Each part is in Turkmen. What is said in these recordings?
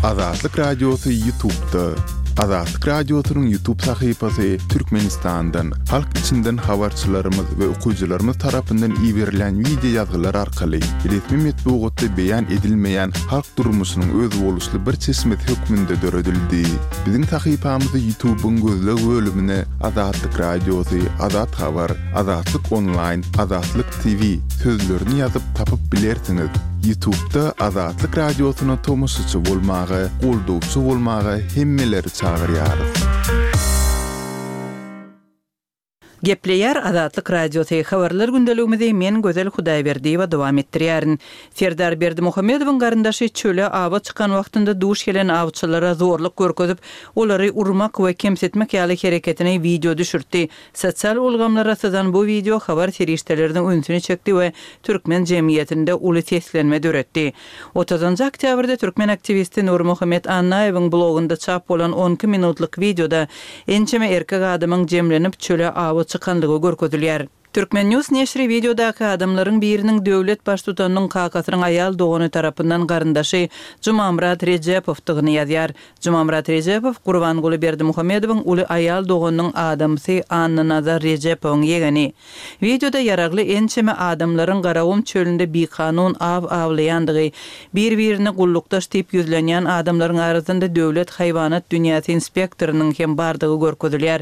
Azatlyk Radiosy Ýutubda. Azatlyk Radiosynyň Ýutub sahypasy Türkmenistandan, halk içinden habarçylarymyz we okyjylarymyz tarapyndan iberilen wideo ýazgylar arkaly resmi metbugatda beýan edilmeýän halk durmuşynyň özboluşly bir çeşmesi hökmünde döredildi. Biziň sahypamyzy Ýutubyň gözleg bölümine Azatlyk Radiosy, Azat Habar, Azatlyk Onlaýn, Azatlyk TV sözlerini ýazyp tapyp bilersiňiz. Ýutubda Azatlyk Radiosyna tomaşaçy bolmaga, goldawçy bolmaga hemmeleri çagyrýarys. Gepleýär Azatlyk Radiosy, Habarlar gündeligimizi men Gözel Hudaýberdiýewa dowam etdirýärin. Serdar Berdimuhamedowyň garyndaşy çöle awa çykan wagtynda duş gelen awçylara zorluk görkezip, olary urmak we kemsitmek ýaly hereketini wideo düşürtdi. Sosial ulgamlara syzan bu wideo habar serişdeleriniň ünsüni çekdi we türkmen jemgyýetinde uly seslenme döretdi. Otuzynjy oktýabrda türkmen aktiwisti Nurmuhammet Annaýewiň blogunda çap bolan on iki minutlyk wideoda ençeme erkek adamyň jemlenip çöle awa çykanlygy görkezilýär. Turkmen. News neşiri wideodaky adamlaryň biriniň döwlet baştutanynyň kakasynyň aýal dogany tarapyndan garyndaşy Jumamyrat Rejepowdygyny ýazýar. Jumamyrat Rejepow Gurbanguly Berdimuhamedowyň uly aýal doganynyň adamsy Annanazar Rejepowyň ýegeni. Wideoda ýaragly ençeme adamlaryň Garagum çölünde bikanun aw awlaýandygy, bir-birine gullukdaş diýip ýüzlenýän adamlaryň arasynda döwlet haýwanat dünýäsi inspektorynyň hem bardygy görkezilýär.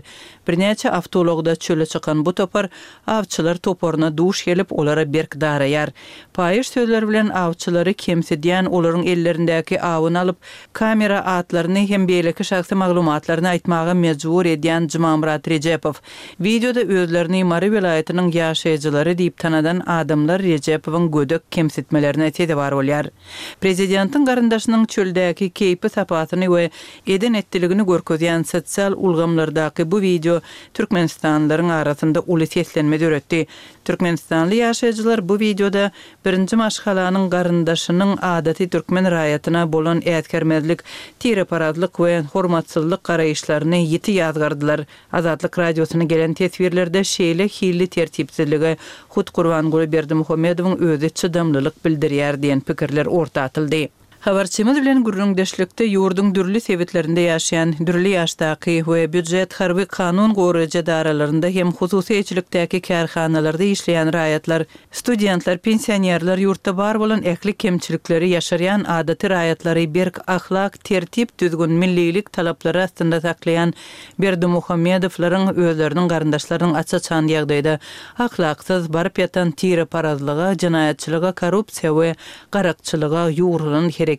Birnäçe awtoulagda çöle çykan bu topar awçylar toparyna duş gelip, olara berk daraýar. Paýyş sözler bilen awçylary kemsidýän, olaryň ellerindäki awyny alyp, kamera atlaryny hem beýleki şahsy maglumatlaryny aýtmaga mejbur edýän Jumamyrat Rejepow. Wideoda özlerini Mary welaýatynyň ýaşaýjylary diýip tanadan adamlar Rejepowyň gödek kemsitmelerine sezewar bolýar. Prezidentiň garyndaşynyň çöldäki keýpi-sapasyny we eden-etdiligini görkezýän sosial ulgamlardaky bu wideo türkmenistanlylaryň arasynda uly seslenme döretdi. Türkmenistanly ýaşaýjylar bu wideoda birinji maşgalanyň garyndaşynyň adaty türkmen raýatyna bolan äsgermezlik, tireparazlyk we hormatsyzlyk garaýyşlaryny ýiti ýazgardylar. Azatlyk Radiosyna gelen teswirlerde şeýle hilli tertipsizlige hut Gurbanguly Berdimuhamedowyň özi çydamlylyk bildirýär diýen pikirler orta atyldy. Habarçymyz bilen gürrüňdeşlikde ýurduň dürli sebitlerinde ýaşaýan, dürli ýaşdaky we býujet, harby, kanun goraýjy edaralarynda hem hususy eýeçilikdäki kärhanalarda işleýän raýatlar, studentler, pensionerler ýurtda bar bolan ähli kemçilikleri ýaşyrýan adaty raýatlary berk ahlak, tertip-düzgün, millilik talaplary astynda saklaýan Berdimuhamedowlaryň özleriniň garyndaşlarynyň aç-açan ýagdaýda ahlaksyz, baryp ýatan tireparazlyga, jenaýatçylyga, korrupsiýa we garakçylyga ýugrulan hereketleri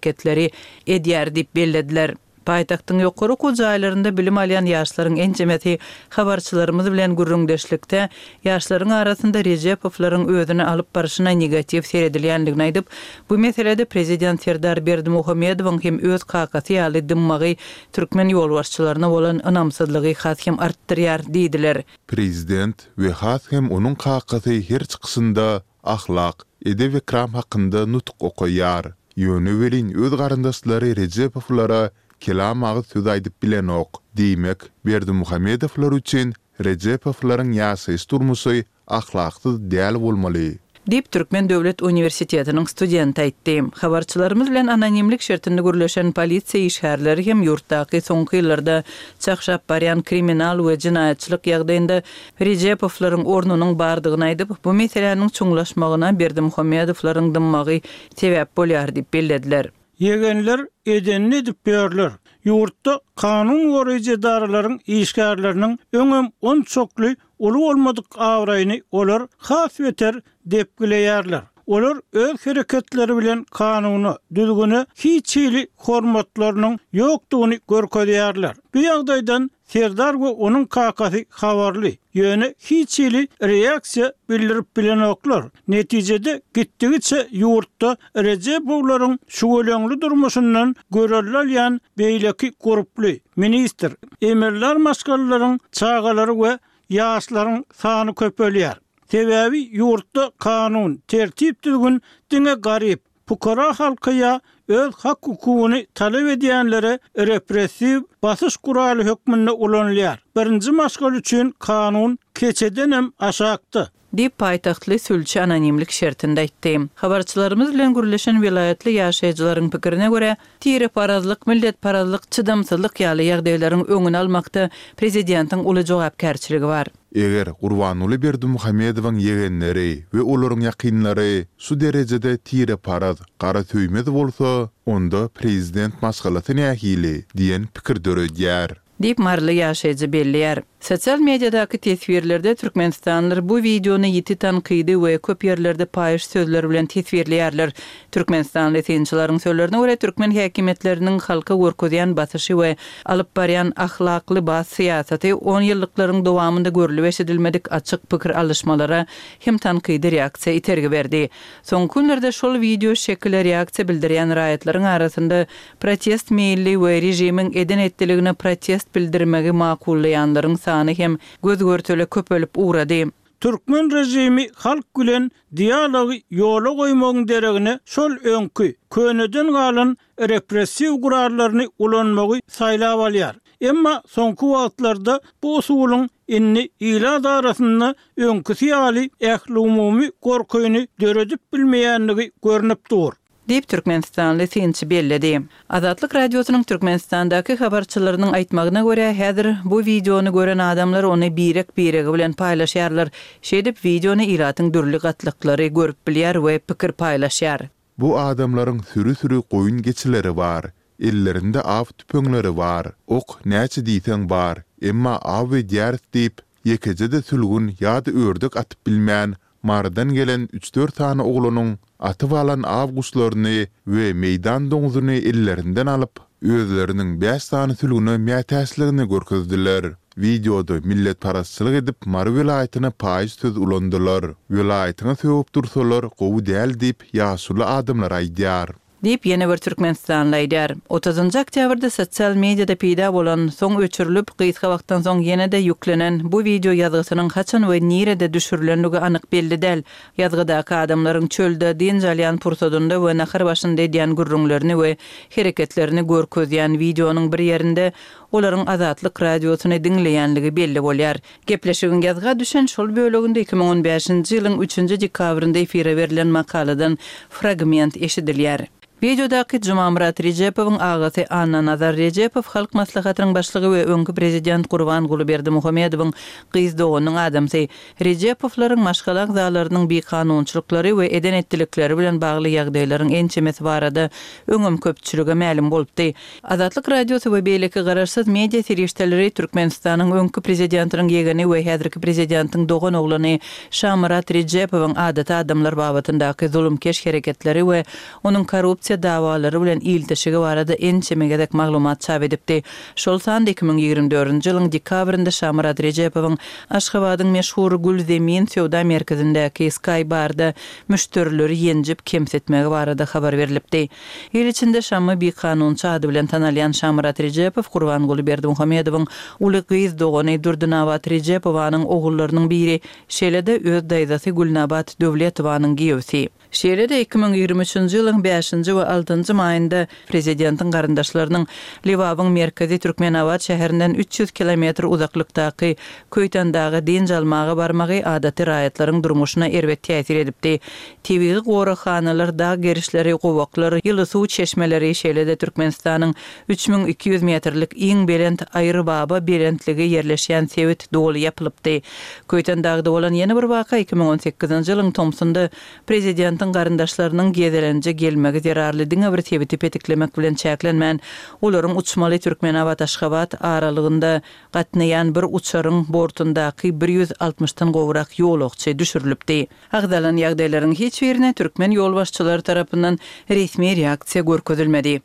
edýär diýip bellediler. Paýtagtyň ýokary okuw jaýlarynda bilim alýan ýaşlaryň ençemesi habarçylarymyz bilen gürrüňdeşlikde ýaşlaryň arasynda Rejepowlaryň özüni alyp barşyna negatiw seredilýändigini aýdyp, bu meselede prezident Serdar Berdimuhamedowyň hem öz kakasy ýaly dymmagy türkmen ýolbaşçylaryna bolan ynamsyzlygy has hem artdyrýar diýdiler. Prezident we has hem onuň kakasy her çykyşynda ahlak, edep-ekram hakynda nutuk okaýar. Ýöne welin öz garyndaşlary Rejepowlara kelam agyz söz aýdyp bilenok. Diýmek, Berdimuhamedowlar üçin Rejepowlaryň ýaşaýyş-durmuşy ahlaksyz däl bolmaly. Diýip, Türkmen döwlet uniwersitetiniň studenti aýtdy. Habarçylarymyz bilen anonimlik şertinde gürleşen polisiýa işgärleri hem ýurtdaky soňky ýyllarda çagşap barýan kriminal we jenaýatçylyk ýagdaýynda Rejepowlaryň ornunyň bardygyny aýdyp, bu meseläniň çuňlaşmagyna Berdimuhamedowlaryň dymmagy sebäp bolýar diýip bellediler. Ýegenler edenini edip ýörler. Ýurtda kanun goraýjy edaralaryň işgärleriniň öňem onçakly uly bolmadyk abraýyny olar has beter depgileýärler. Olar öz hereketleri bilen kanuna, düzgüne hiç hili hormatlarynyň ýokdugyny görkezýärler. Bu ýagdaýdan Serdar we onuň kakasy habarly, ýöne hiç hili reaksiýa bildirip bilenoklar. Netijede gitdigiçe ýurtda Rejepowlaryň şüweleňli durmuşyndan görelde alýan beýleki gurply, ministr, emeldar maşgalalaryň çagalary we ýaşlaryň sany köpelýär. Sebäbi ýurtda kanun, tertip-düzgün diňe garyp, Pukara halka ýa öz hak-hukugyny talap edýänlere repressiw basyş guraly hökmünde ulanylýar. Birinji maşgala üçin kanun keçedenem aşakda. Diýip, paýtagtly sülçi anonimlik şertinde aýtdy. Habarçylarymyz bilen gürleşen welaýatly ýaşaýjylaryň pikirine görä, tireparazlyk, milletparazlyk, çydamsyzlyk ýaly ýagdaýlaryň öňüni almakda prezidentiň uly jogapkärçiligi bar. Eger Gurbanguly Berdimuhamedowyň ýegenleri we olaryň ýakynlary şu derejede tireparaz, garasöýmez bolsa, onda prezident maşgalasy nähili diýen pikir döredýär. Diýip, maryly ýaşaýjy belleýär. Sosial mediadaky teswirlerde türkmenistanlylar bu wideony ýiti tankydy we köp ýerlerde paýyş sözler bilen teswirleýärler. Türkmenistanly synçylaryň sözlerine görä, türkmen häkimiýetleriniň halka görkezýän basyşy we alyp barýan ahlakly-bas syýasaty onýyllyklaryň dowamynda görlüp-eşidilmedik açyk pikir alyşmalara hem tankydy reaksiýa itergi berdi. Soňky günlerde şol wideo şekile reaksiýa bildirýän raýatlaryň arasynda Protest meýilli we režimiň eden-etdiligine protest bildirmegi makullaýanlaryň sany hem göz-görtele köpelip ugrady. Türkmen režimi halk bilen dialogy ýola goýmagyň deregine şol öňki, köneden galan repressiw gurallaryny ulanmagy saýlap alýar. Emma soňky wagtlarda bu usulyň indi ilat arasynda öňküsi ýaly ählumumy gorkyny döredip bilmeýändigi görnüp dur. Diýip, türkmenistanly synçy belledi. Azatlyk Radiosynyň Türkmenistandaky habarçylarynyň aýtmagyna görä, häzir bu wideony gören adamlar ony birek-biregi bilen paýlaşýarlar. Şeýdip, wideony ilatyň dürli gatlaklary görüp bilýär we pikir paýlaşýar. Bu adamlaryň süri-süri goýun-geçileri bar. Ellerinde aw tüpeňleri bar. Ok näçe diýseň bar, emma aw edýäris diýip, ýekeje-de sülgün ýa-da ördek atyp bilmän, Marydan gelen üç-dört sany oglanyň atyp alan aw guşlaryny we meýdan doňzuny ellerinden alyp, özleriniň bäş sany sülgüne mätäçligini görkezdiler. Wideoda milletparazçylyk edip Mary welaýatyna paýyş söz ulandylar. Welaýatyňa sögüp dursalar gowy däl diýip ýaşuly adamlar aýdýar. Diýip, ýene bir türkmenistanly aýdýar. Otuzynjy oktýabrda sosial mediada peýda bolan, soň öçürilip, gysga wagtdan soň ýene-de ýüklenen bu wideo ýazgysynyň haçan we nirede düşürilenligi anyk belli däl. Ýazgydaky adamlaryň çölde dynç alýan pursadynda we nahar başynda edýän gürrüňlerini we hereketlerini görkezýän wideonyň bir ýerinde olaryň Azatlyk Radiosyny diňleýänligi belli bolýar. Gepleşigiň ýazga düşen şol böleginde 2015-nji ýylyň üçünji dekabrynda efire berlen makaladan fragment eşidilýär. Wideodaky Jumamyrat Rejepowyň agasy Annanazar Rejepow Halk Maslahatynyň başlygy we öňki prezident Gurbanguly Berdimuhamedowyň gyz doganynyň adamsy. Rejepowlaryň maşgala agzalarynyň bikanunçylyklary we eden-etdilikleri bilen bagly ýagdaýlaryň ençemesi barada öňem köpçülige mälim bolupdy. Azatlyk Radiosy we beýleki garaşsyz media serişdeleri Türkmenistanyň öňki prezidentiniň ýegeni we häzirki prezidentiň doganoglany Şamyrat Rejepowyň adaty adamlar babatyndaky zulumkeş hereketleri we onuň korrupsiýa dawalary bilen ilteşigi barada ençeme gezek maglumat çap edipdi. Şol sanda 2024-nji ýylyň dekabrynda Şamyrat Rejepowyň Aşgabadyň meşhur Gül Zemin söwda merkezindäki Sky Barda müşderileri ýenjip kemsitmegi barada habar berlipdi. Il içinde Şammy bikanunçy ady bilen tanalýan Şamyrat Rejepow Gurbanguly Berdimuhamedowyň uly gyz dogany Durdynabat Rejepowanyň ogullarynyň biri, şeýle-de öz daýzasy Gülnabat Döwletowanyň giýewsi. Şeýle-de 2023-nji ýylyň bäşinji we altynjy maýynda prezidentiň garyndaşlarynyň Lebabyň merkezi Türkmenabat şäherinden 300 kilometr uzaklykdaky Köýtendaga dynç almaga barmagy adaty raýatlaryň durmuşyna erbet täsir edipdi. Tebigy goraghanalar, dag gerişleri, gowaklar, ýyly suw çeşmeleri, şeýle-de Türkmenistanyň 3200 metrlik iň belent Aýrybaba belentligi ýerleşýän sebit doly ýapylypdy. Köýtendagda bolan ýene bir waka 2018-nji ýylyň tomsunda prezidentiň garyndaşlarynyň gezelenje gelmegi zerarly diňe bir sebiti petiklemek bilen çäklenmän, olaryň uçmaly Türkmenabat-Aşgabat aralygynda gatnaýan bir uçaryň bortundaky bir ýüz altmyşdan gowrak ýolagçy düşürilipdi. Agzalan ýagdaýlaryň hiç birine türkmen ýolbaşçylary tarapyndan resmi reaksiýa görkezilmedi.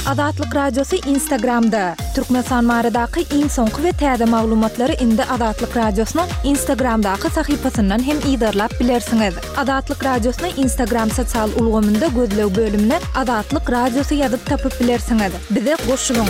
Azatlyk Radiosy Instagramda, Türkmenistan baradaky iň soňky we täze maglumatlary indi Azatlyk Radiosynyň Instagramdaky sahypasyndan hem yzarlap bilersiňiz. Azatlyk Radiosyny Instagram sosial ulgamynda gözleg bölümine Azatlyk Radiosy ýazyp tapyp bilersiňiz. Bize goşulyň!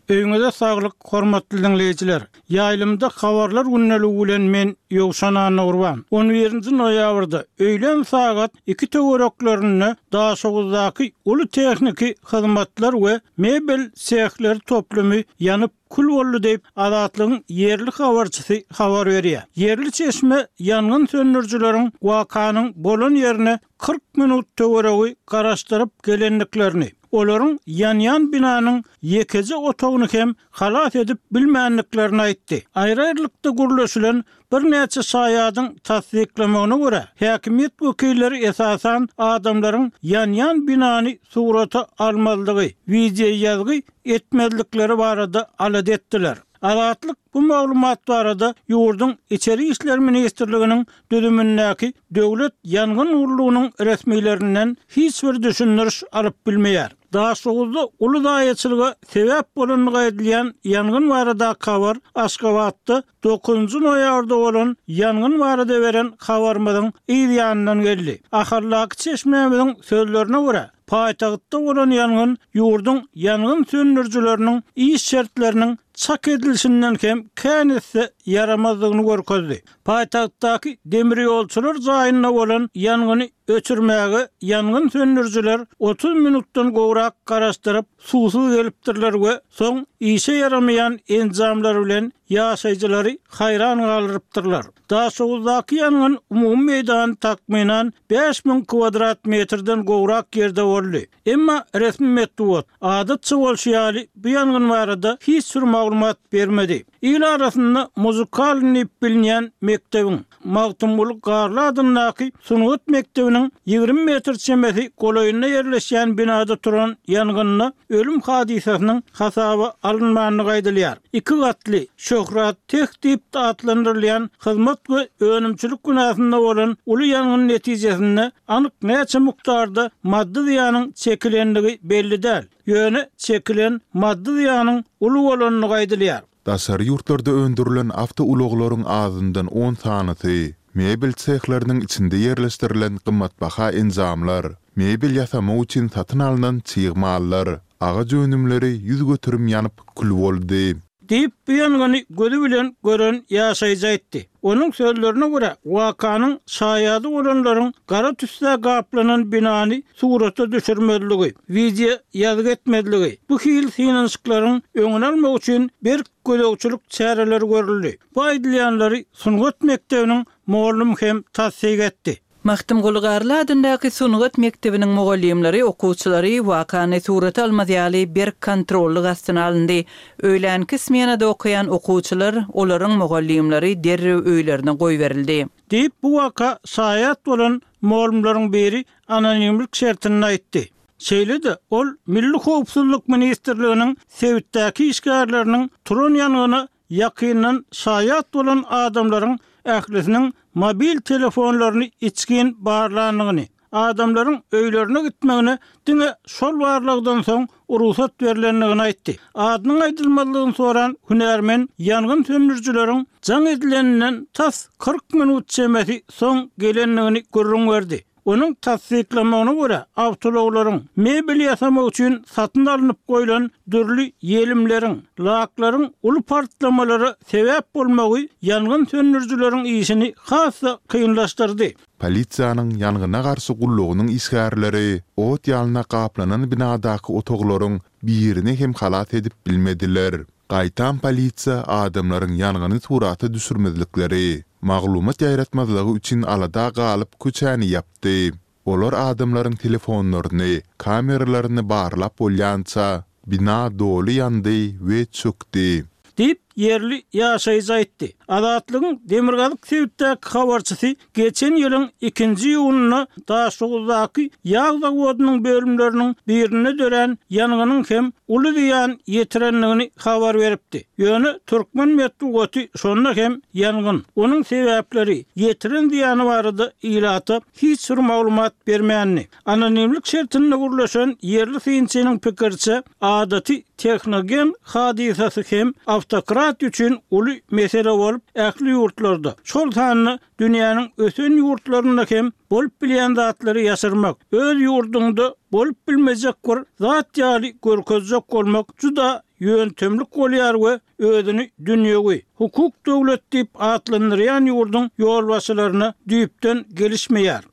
Öýüňize saglyk, hormatly diňleýjiler! Ýaýlymda Habarlar gündeligi bilen men, Ýowşan Annagurban. On birinji noýabrda, öýlän sagat iki töwereklerinde Daşoguzdaky uly tehniki hyzmatlar we mebel sehleri toplumy ýanyp. kül boldy diýip, Azatlygyň ýerli habarçysy habar berýär. Ýerli çeşme ýangyn söndürijileriň wakanyň bolan ýerine 40 minut töweregi garaşdyryp gelendiklerini, olaryň ýanýan binanyň ýekeje otagyny hem halas edip bilmändiklerini aýtdy. Aýry-aýrylykda gürleşilen birnäçe şaýadyň tassyklamagyna görä, häkimiýet wekilleri esasan adamlaryň ýanýan binany surata almazlygy, wideoýazgy etmezlikleri barada alada etdiler. Azatlyk bu maglumat barada ýurduň Içeri işler ministrliginiň düzümindäki Döwlet ýangyn gullugynyň resmilerinden hiç bir düşündiriş alyp bilmeýär. Daşoguzda uly zaýaçylyga sebäp bolandygy aýdylýan ýangyn baradaky habar Aşgabatda dokuzynjy noýabrda bolan ýangyn barada beren habarymyzyň yz ýanyndan geldi. Ahaldaky çeşmämiziň sözlerine görä, paýtagtda bolan ýangyn ýurduň ýangyn söndürijileriniň iş şertleriniň çak edilişinden hem kän esse ýaramazdygyny görkezdi. Paýtagtdaky demirýolçular jaýynda bolan ýangyny öçürmäge ýangyn söndürijiler 30 minutdan gowrak garaşdyryp, suwsuz gelipdirler we soň işe ýaramaýan enjamlar bilen ýaşaýjylary haýran galdyrypdyrlar. Daşoguzdaky ýangyn umumy meýdany takmynan 5000 kwadrat metrden gowrak ýerde boldy. Emma resmi metbugat, adatça bolşy ýaly, bu ýangyn barada hiç bir maglumat bermedi. Il arasynda muzykalnyý diýip bilinýän mekdebiň, Magtymguly Garly adyndaky sungat mekdebiniň 20 metr çemesi golaýynda ýerleşýän binada turan ýangynda ölüm hadysasynyň hasaba alynmandygy aýdylýar. Iki gatly, Şöhrat teh diýip atlandyrylýan hyzmat we önümçilik binasynda bolan uly ýangyn netijesinde anyk näçe mukdarda maddy zyýanyň çekilendigi belli däl, ýöne çekilen maddy zyýanyň uly bolandygy aýdylýar. Daşary ýurtlarda öndürilen awtoulaglaryň azyndan on sanysy, mebel sehleriniň içinde ýerleşdirilen gymmatbaha enjamlar, mebel ýasamak üçin satyn alnan çig mallar, agaç önümleri 100% ýanyp, kül boldy. Diýip, bu ýangyny gözi bilen gören ýaşaýjy aýtdy. Onuň sözlerine görä, wakanyň şaýady bolanlaryň gara tüssä gaplanan binany surata düşürmezligi, wideo ýazgy etmezligi, bu hili synanyşyklaryň öňüni almak üçin berk gözegçilik çäreleri görüldi. Bu aýdylýanlary sungat mekdebiniň mugallym hem tassyk etdi. Magtymguly Garly adyndaky sungat mekdebiniň mugallymlary okuwçylary wakany surata almaz ýaly berk kontrollyk astyna alyndy. Öýlänki smenada okaýan okuwçylar, olaryň mugallymlary derrew öýlerine goýberildi. Diýip, bu waka şaýat bolan mugallymlaryň biri anonimlik şertinde aýtdy. Şeýle-de, ol Milli howpsuzlyk ministrliginiň sebitdäki işgärleriniň turan ýangyna Ýakyndan şaýat bolan adamlaryň ählisiniň mobil telefonlaryny içgin barlandygyny, adamlaryň öýlerine gitmegine diňe şol barlagdan soň rugsat berlendigini aýtdy. Adynyň aýdylmazlygyny soran hünärmen ýangyn söndürijileriň jaň edileninden tas 40 minut çemesi soň gelendigini gürrüň berdi. Onuň tassyklamagyna görä, awtoulaglaryň, mebel ýasamak üçin satyn alnyp goýlan dürli ýelimleriň, laklaryň uly partlamalara sebäp bolmagy ýangyn söndürijileriň işini has-da kynlaşdyrdy. Polisiýanyň ýangyna garşy gullugynyň işgärleri ot ýalna gaplanan binadaky otaglaryň birini hem halas edip bilmediler. Gaýtam polisiýa adamlaryň ýangyny surata düşürmezlikleri, maglumat ýaýratmazlygy üçin alada galyp köçäni ýapdy. Olar adamlaryň telefonlaryny, kameralaryny barlap bolýança, bina doly ýandy we çökdi. Diýip, ýerli ýaşaýjy aýtdy. Azatlygyň demirgazyk sebitdäki habarçysy geçen ýylyň ikinji iýunynda Daşoguzdaky ýag zawodynyň bölümleriniň birinde dörän ýangynyň hem uly zyýan ýetirendigini habar beripdi. Ýöne türkmen metbugaty şonda hem ýangyn, onuň sebäpleri, ýetiren zyýany barada ilata hiç bir maglumat bermändi. Anonimlik şertinde gürleşen ýerli synçynyň pikiriçe, adaty tehnogen hadysasy hem awtokratiýa üçin uly mesele bolup, ähli ýurtlarda, şol sanda dünýäniň ösen ýurtlarynda hem bolup bilýän zatlary ýaşyrmak, öz ýurduňda bolup bilmejek bir zat ýaly görkezjek bolmak juda ýöntemlik bolýar we özüni dünýewi, hukuk döwlet diýip atlandyrýan ýurduň ýolbaşçylaryna düýpden gelişmeýär.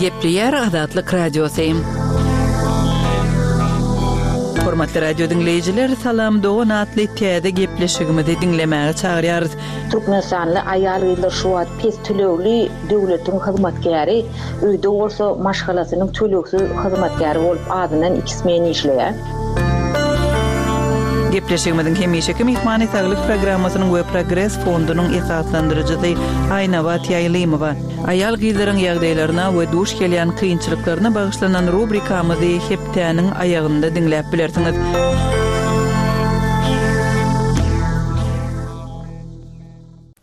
Gepleýär Azatlyk Radiosy. Hormatly radio diňleýjiler, Salam dogan atly täze gepleşigimizi diňlemäge çagyrýarys. Türkmenistanly aýal-gyzlar şu wagt pes tölegli döwletiň hyzmatkäri, öýde bolsa maşgalasynyň tölegsiz hyzmatkäri bolup azyndan iki smen işleýär. Gepleşigimiziň hemişeki myhmany Saglyk programmasynyň we Progres fondunyň esaslandyryjysy Aýnabat Ýaýlymowa. Aýal-gyzlaryň ýagdaýlaryna we duş gelýän kynçylyklaryna bagyşlanan rubrikamyzy hepdäniň aýagynda diňläp bilersiňiz.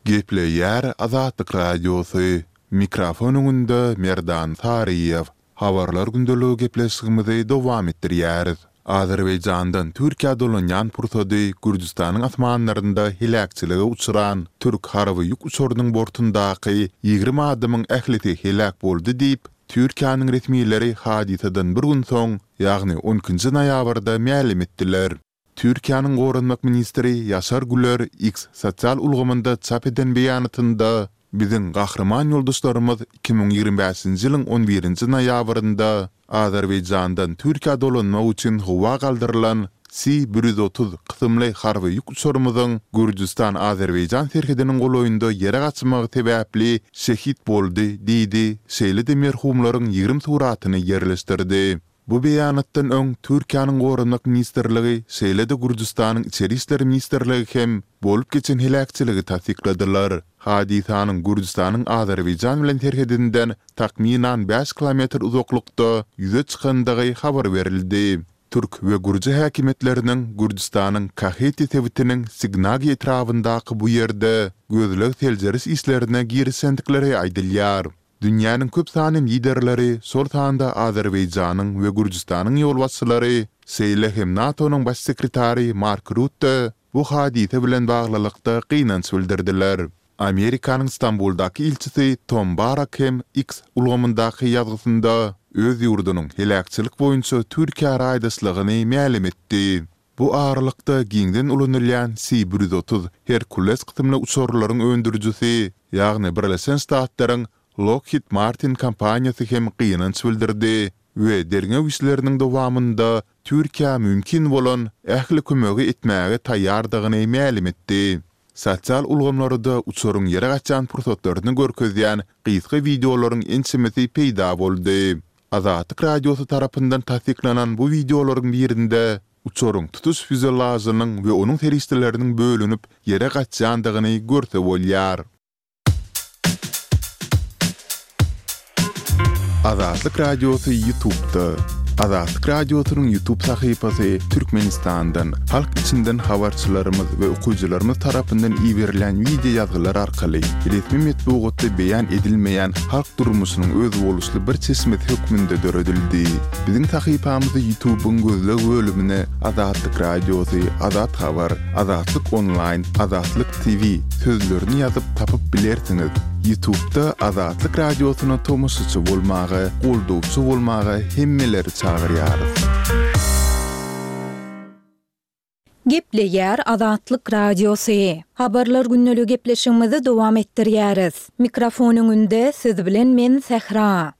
Gepleýär Azatlyk Radiosy, Mikrofon öňünde Merdan Saryýew. Habarlar gündeligi gepleşigimizi dowam etdirýäris. Azerbaýjandan Türkiýä dolanýan pursady Gürjüstanyň asmanlarynda heläkçilige uçran türk harby ýük uçarynyň bortundaky 20 adamyň ählisi heläk boldy diýip, Türkiýäniň resmileri hadysadan bir gün soň, ýagny on ikinji noýabrda mälim etdiler. Türkiýäniň Goranmak ministri Ýaşar Güler X sosial ulgamynda çap eden beýanatynda, Biziň gahryman ýoldaşlarymyz 2025-nji ýylyň on birinji noýabrynda Azerbaýjandan Türkiýä dolanmak üçin howa galdyrylan Si 130 kysymly harby ýük uçarymyzyň Gürjüstan-Azerbaýjan serhediniň golaýynda ýere gaçmagy sebäpli şehit boldy diýdi, şeýle-de merhumlaryň 20 suratyny ýerleşdirdi. Bu beýanatdan öň Türkiýäniň Goranmak ministrligi, şeýle-de Gürjüstanyň Içeri işler ministrligi hem bolup geçen heläkçiligi tassykladylar. Hadysanyň Gürjüstanyň Azerbaýjan bilen serhedinden takmynan bäş kilometr uzaklykda ýüze çykandygy habar berildi. Türk we gürji häkimiýetleriniň Gürjüstanyň Kaheti sebitiniň Signagi etrabyndaky bu ýerde gözleg-seljeriş işlerine girişendikleri aýdylýar. Dünýäniň köp sanly liderleri, şol sanda Azerbaýjanyň we Gürjüstanyň ýolbaşçylary, şeýle hem NATO-nyň Baş sekretary Mark Rutte bu hadysa bilen baglylykda gynanç bildirdiler. Amerikanyň Stambuldaky ilçisi Tom Barrak hem X ulgamyndaky ýazgysynda öz ýurdunyň heläkçilik boýunça Türkiýä raýdaşlygyny mälim etdi. Bu aralykda giňden ulanylýan C 130 Hercules kysymly uçarlaryň öndürijisi, ýagny Birleşen Ştatlaryň Lockheed Martin kompaniýasy hem gynanç bildirdi we derňew işleriniň dowamynda Türkiýä mümkin bolan ähli kömegi etmäge taýýardygyny mälim etdi. Sosial ulgamlarda uçaryň ýere gaçýan pursatlaryny görkezýän gysga wideolaryň ençemesi peýda boldy. Azatlyk Radiosy tarapyndan tassyklanan bu wideolaryň birinde uçaryň tutuş fýuzelažynyň we onuň serişdeleriniň bölünip ýere gaçýandygyny görse bolýar. Azatlyk Radiosy YouTube'da. Azatlyk Radiosynyň YouTube sahypasy Türkmenistandan, halk içinden habarçylarymyz we okyjylarymyz tarapyndan iberilen wideo ýazgylar arkaly resmi metbugatda beýan edilmeýän halk durmuşynyň özboluşly bir çeşmesi hökmünde döredildi. Biziň sahypamyzy YouTube-yň gözleg bölümine Azatlyk Radiosy, Azat Habar, Azatlyk Onlaýn, Azatlyk TV sözlerini ýazyp tapyp bilersiňiz. YouTube-da Azatlyk Radiosyna tomaşaçy bolmaga, goldawçy bolmaga hemmeleri çagyrýarys. Gepleýär Azatlyk Radiosy. Habarlar gündeligi gepleşigimizi dowam etdirýäris. Mikrofon öňünde siz bilen men Sähra.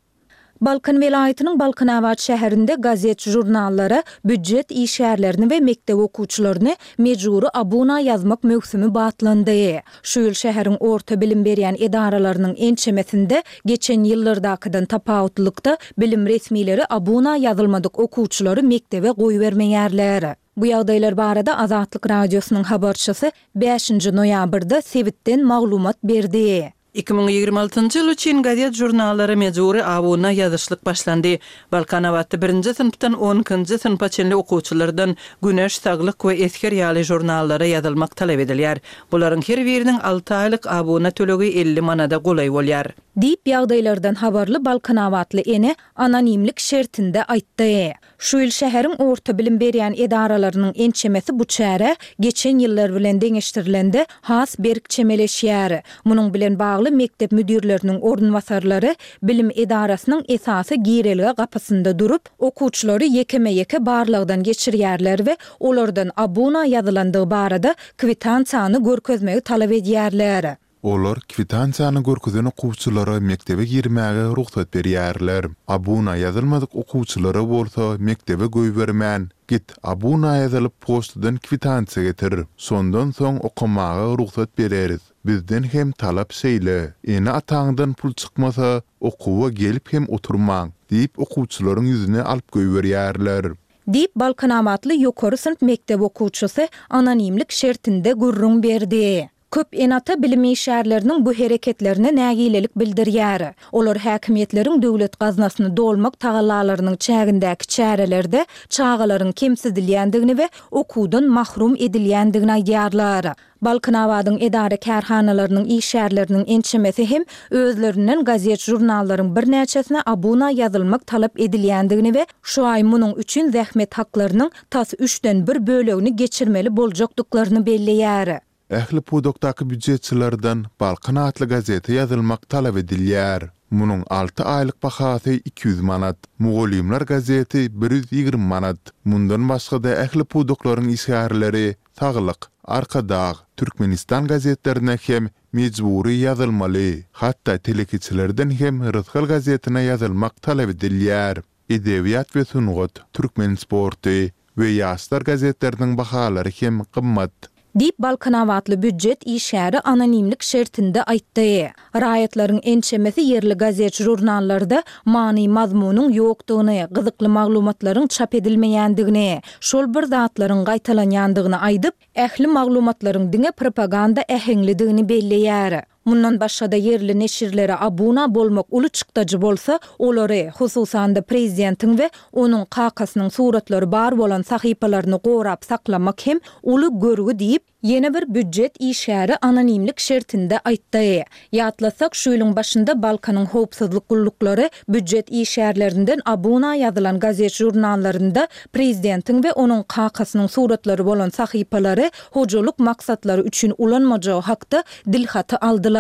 Balkan welaýatynyň Balkanabat şäherinde gazet-žurnallara býujet işgärlerini we mekdep okuwçylaryny mejbury abuna ýazmak möwsümi batlandy. Şu ýyl şäheriň orta bilim berýän edaralarynyň ençemesinde geçen ýyllardakydan tapawutlylykda bilim resmileri abuna ýazylmadyk okuwçylary mekdebe goýbermeýärler. Bu ýagdaýlar barada Azatlyk Radiosynyň habarçysy bäşinji noýabrda sebitden maglumat berdi. 2026-njy ýyl üçin gazet-žurnallara mejbury abuna ýazyşlyk başlandy. Balkanabatda birinji synpdan on ikinji synpa çenli okuwçylardan Güneş, Saglyk we Esger ýaly žurnallara ýazylmak talap edilýär. Bularyň her biriniň alty aýlyk abuna tölegi 50 manada golaý bolýar. Diýip, ýagdaýlardan habarly balkanabatly ene anonimlik şertinde aýtdy. Şu ýyl şäheriň orta bilim berýän edaralarynyň ençemesi bu çärä, geçen ýyllar bilen deňeşdirilende, has berk çemeleşýär. Munuň bilen bagly mekdep müdirleriniň orunbasarlary bilim edarasynyň esasy girelge gapysynda durup, okuwçylary ýekeme-ýeke barlagdan geçirýärler we olardan abuna ýazylandygy barada kwitansiýany görkezmegi talap edýärler. Olar kwitansiýany görkezen okuwçylara mekdebe girmäge rugsat berýärler. Abuna ýazylmadyk okuwçylara bolsa mekdebe goýbermän, Git, abuna ýazylyp poçtadan kwitansiýa getir. Şondan soň okamaga rugsat bereris. Bizden hem talap şeýle. Ene-ataňdan pul çykmasa, okuwa gelip hem oturmaň diýip okuwçylaryň ýüzüni alyp goýberýärler. Diýip, balkanabatly ýokary synp mekdep okuwçysy anonimlik şertinde gürrüň berdi. Köp ene-ata bilim işgärleriniň bu hereketlerine nägilelik bildirýär. Olar häkimiýetleriň döwlet gaznasyny dolmak tagallalarynyň çägindäki çärelerde çagalaryň kemsidilýändigini we okuwdan mahrum edilýändigini aýdýarlar. Balkanabadyň edara-kärhanalarynyň işgärleriniň ençemesi hem özlerinden gazet-žurnallaryň birnäçesine abuna ýazylmak talap edilýändigini we şu aý munuň üçin zähmet haklarynyň tas üçden bir bölegini geçirmeli boljakdyklaryny belleýär. Ähli pudakdaky býujetçilerden Balkan atly gazete ýazylmak talap edilýär. Munuň alty aýlyk bahasy 200 manat. Mugallymlar gazeti 120 manat. Mundan başga-da ähli pudaklaryň işgärleri Saglyk, Arkadag, Türkmenistan gazetlerine hem mejbury ýazylmaly. Hatda telekeçilerden hem Rysgal gazetine ýazylmak talap edilýär. Edebiýat we sungat, Türkmen sporty we Ýaşlar gazetleriniň bahalary hem gymmat. Diýip, balkanabatly býujet işgäri anonimlik şertinde aýtdy. Raýatlaryň ençemesi ýerli gazet-žurnallarda many-mazmunyň ýokdugyny, gyzykly maglumatlaryň çap edilmeýändigini, şol bir zatlaryň gaýtalanýandygyny aýdyp, ähli maglumatlaryň diňe propaganda äheňlidigini belleýär. Mundan başga-da ýerli neşirlere abuna bolmak uly çykdajy bolsa, olary, hususan-da prezidentiň we onuň kakasynyň suratlary bar bolan sahypalaryny gorap saklamak hem uly görgi diýip, ýene bir býujet işgäri anonimlik şertinde aýtdy. Ýatlasak, şu ýylyň başynda Balkanyň howpsuzlyk gulluklary býujet işgärlerinden abuna ýazylan gazet-žurnallarynda prezidentiň we onuň kakasynyň suratlary bolan sahypalary hojalyk maksatlary üçin ulanmajagy hakda dilhaty aldylar.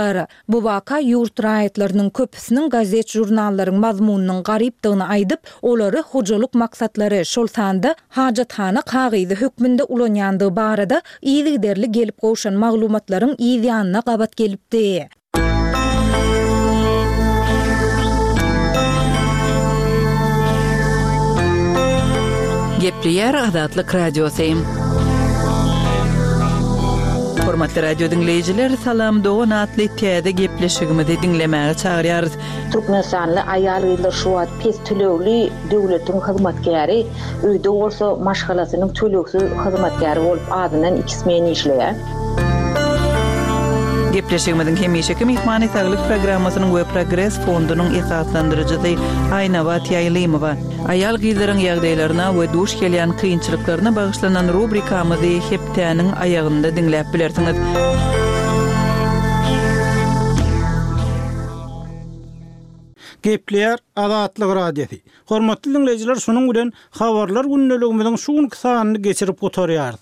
Bu waka ýurt raýatlarynyň köpüsiniň gazet-žurnallaryň mazmunynyň garypdygyny aýdyp, olary hojalyk maksatlary, şol sanda hajathana kagyzy hökmünde ulanýandygy barada yzygiderli gelip gowşan maglumatlaryň yz ýanyna gabat gelipdi. Gepleýär Azatlyk Radiosy. Hormatly radio diňleýjiler, Salam dogan atly täze gepleşigimizi diňlemäge çagyrýarys. Türkmenistanly aýal-gyzlar şu wagt pes tölegli döwletiň hyzmatkäri, öýde bolsa maşgalasynyň tölegsiz hyzmatkäri bolup azyndan iki smen işleýär. Gepleşigimiziň hemişeki myhmany Saglyk programmasynyň we Progres fondunyň esaslandyryjysy Aýnabat Ýaýlymowa. Aýal-gyzlaryň ýagdaýlaryna we duş gelýän kynçylyklaryna bagyşlanan rubrikamyzy hepdäniň aýagynda diňläp bilersiňiz. Gepleýär Azatlyk Radiosy. Hormatly diňleýjiler şunuň bilen Habarlar gündeligimiziň şu günki sanyny geçirip gutarýarys.